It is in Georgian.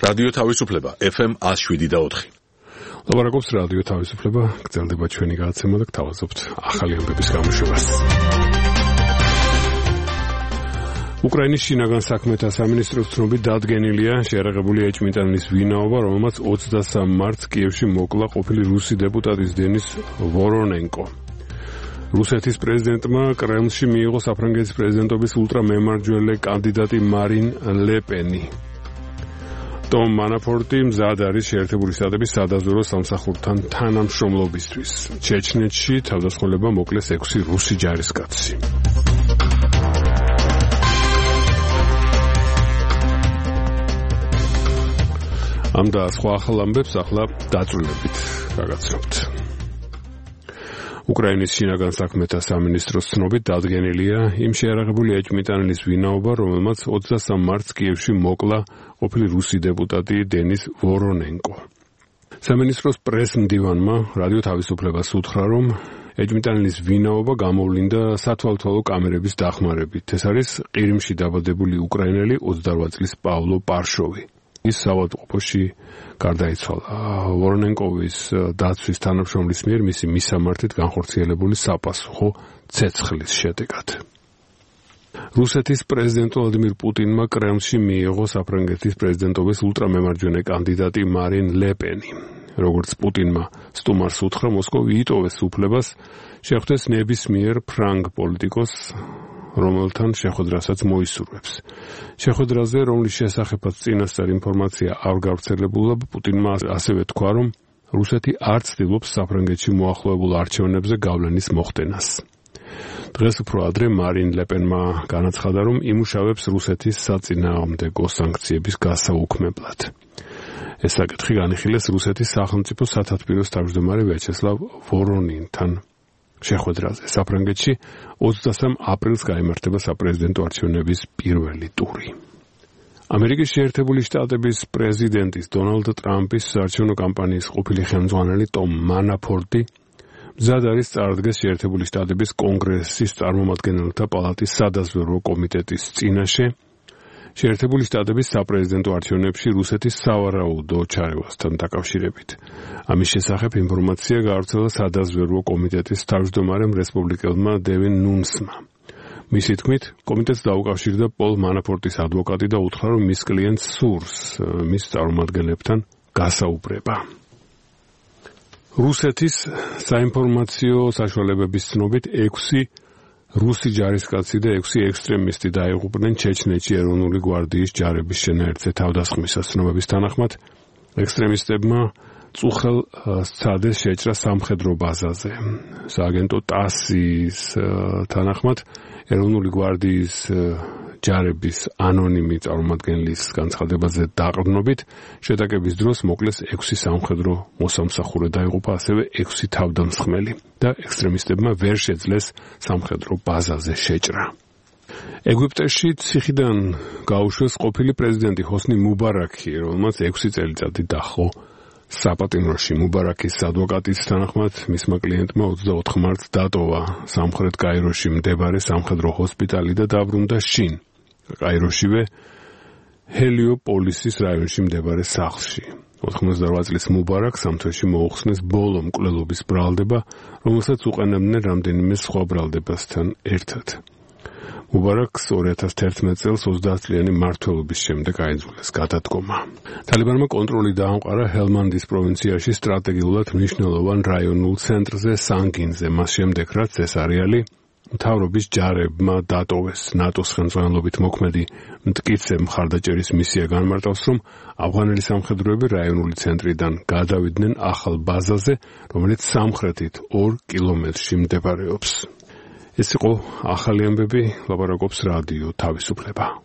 რადიო თავისუფლება FM 107.4. ლაპარაკობს რადიო თავისუფლება, გრძელდება ჩვენი გადაცემა და გთავაზობთ ახალი ამბების გამოშვებას. უკრაინის შინაგან საქმეთა სამინისტროს ცნობით დადგენილია შეერაღებული ეჭვმიტანილის ვინაობა, რომელმაც 23 მარტს კიევში მოკლა ყოფილი რუსი დეპუტატის დენის ვორონენკო. რუსეთის პრეზიდენტმა კრემლში მიიღო საფრანგეთის პრეზიდენტობის ულტრამემარჯვენე კანდიდატი მარინ ლე პენი. ტომ მანაფორტი მზად არის შეერთებული შტატების სადაზვერვო სამსახურთან თანამშრომლობისთვის. ჩეჩნეთში თავდასხმულება მოკლეს 6 რუსი ჯარისკაცი. ამ და სხვა ახალ ამბებს ახლა დაწვრილებით გაგაცნობთ. უკრაინის შინაგან საქმეთა სამინისტროს ცნობით დადგენილია იმ შეერაღებული ეჭვმიტანილის ვინაობა, რომელმაც 23 მარტს კიევში მოკლა ყოფილი რუსი დეპუტატი დენის ვორონენკო. სამინისტროს პრეს-მდივანმა რადიო თავისუფლებას უთხრა, რომ ეჭვმიტანილის ვინაობა გამოვლინდა სათვალთვალო კამერების დახმარებით. ეს არის ყირიმში დაბადებული უკრაინელი 28 წლის პავლო პარშოვი. ის საავადმყოფოში გარდაიცვალა. ვორონენკოვის დაცვის თანამშრომლის მიერ მისი მისამართით განხორციელებული საპასუხო ცეცხლის შედეგად. რუსეთის პრეზიდენტ ვლადიმირ პუტინმა კრემლში მიიღო საფრანგეთის პრეზიდენტობის ულტრამემარჯვენე კანდიდატი მარინ ლე პენი. როგორც პუტინმა სტუმარს უთხრა, მოსკოვი იტოვეს უფლებას შეხვდეს ნებისმიერ ფრანგ პოლიტიკოსს, რომელთან შეხვედრასაც მოისურვებს. შეხვედრაზე, რომლის შესახებაც წინასწარ ინფორმაცია არ გავრცელებულა, პუტინმა ასევე თქვა, რომ რუსეთი არ ცდილობს საფრანგეთში მოახლოებულ არჩევნებზე გავლენის მოხდენას. დღეს უფრო ადრე მარინ ლე პენმა განაცხადა, რომ იმუშავებს რუსეთის საწინააღმდეგო სანქციების გასაუქმებლად. ეს საკითხი განიხილეს რუსეთის სახელმწიფო სათათბიროს თავმჯდომარე ვიაჩესლავ ვორონინთან შეხვედრაზე. საფრანგეთში 23 აპრილს გაიმართება საპრეზიდენტო არჩევნების პირველი ტური. ამერიკის შეერთებული შტატების პრეზიდენტის დონალდ ტრამპის საარჩევნო კამპანიის ყოფილი ხელმძღვანელი ტომ მანაფორტი მზად არის წარდგეს შეერთებული შტატების კონგრესის წარმომადგენელთა პალატის სადაზვერვო კომიტეტის წინაშე შეერთებული შტატების საპრეზიდენტო არჩევნებში რუსეთის სავარაუდო ჩარევასთან დაკავშირებით. ამის შესახებ ინფორმაცია გავრცელა სადაზვერვო კომიტეტის თავმჯდომარემ რესპუბლიკელმა დევინ ნუნსმა. მისი თქმით, კომიტეტს დაუკავშირდა პოლ მანაფორტის ადვოკატი და უთხრა, რომ მის კლიენტს სურს მის წარმომადგენლებთან გასაუბრება. რუსეთის საინფორმაციო საშუალებების ცნობით 6 რუსი ჯარისკაცი და 6 ექსტრემისტი დაიღუპნენ ჩეჩნეთში ეროვნული გვარდიის ჯარების შენაერთზე თავდასხმისას. ცნობების თანახმად, ექსტრემისტებმა წუხელ სცადეს შეჭრა სამხედრო ბაზაზე. სააგენტო ტასის თანახმად, ეროვნული გვარდიის ჯარების ანონიმი წარმომადგენლის განცხადებაზე დაყრდნობით, შეტაკების დროს მოკლეს 6 სამხედრო მოსამსახურე დაიღუპა, ასევე 6 თავდამსხმელი და ექსტრემისტებმა ვერ შეძლეს სამხედრო ბაზაზე შეჭრა. ეგვიპტეში ციხიდან გაუშვეს ყოფილი პრეზიდენტი ჰოსნი მუბარაკი, რომელმაც 6 წელიწადი დაჰყო საპატიმროში. მუბარაკის ადვოკატის თანახმად, მისმა კლიენტმა 24 მარტს დატოვა სამხრეთ კაიროში მდებარე სამხედრო ჰოსპიტალი და დაბრუნდა შინ კაიროშივე ჰელიოპოლისის რაიონში მდებარე სახლში. 98 წლის მუბარაკს ამ თვეში მოუხსნეს ბოლო მკვლელობის ბრალდება, რომელსაც უყენებდნენ რამდენიმე სხვა ბრალდებასთან ერთად. მუბარაკს 2011 წელს 30 წლიანი მმართველობის შემდეგ აიძულეს გადადგომა. თალიბანმა კონტროლი დაამყარა ჰელმანდის პროვინციაში სტრატეგიულად მნიშვნელოვან რაიონულ ცენტრზე სანგინზე, მას შემდეგ რაც ეს არეალი მთავრობის ჯარებმა დატოვეს. ნატოს ხელმძღვანელობით მოქმედი მტკიცე მხარდაჭერის მისია განმარტავს, რომ ავღანელი სამხედროები რაიონული ცენტრიდან გადავიდნენ ახალ ბაზაზე, რომელიც სამხრეთით 2 კილომეტრში მდებარეობს. ეს იყო ახალი ამბები, ლაპარაკობს რადიო თავისუფლება.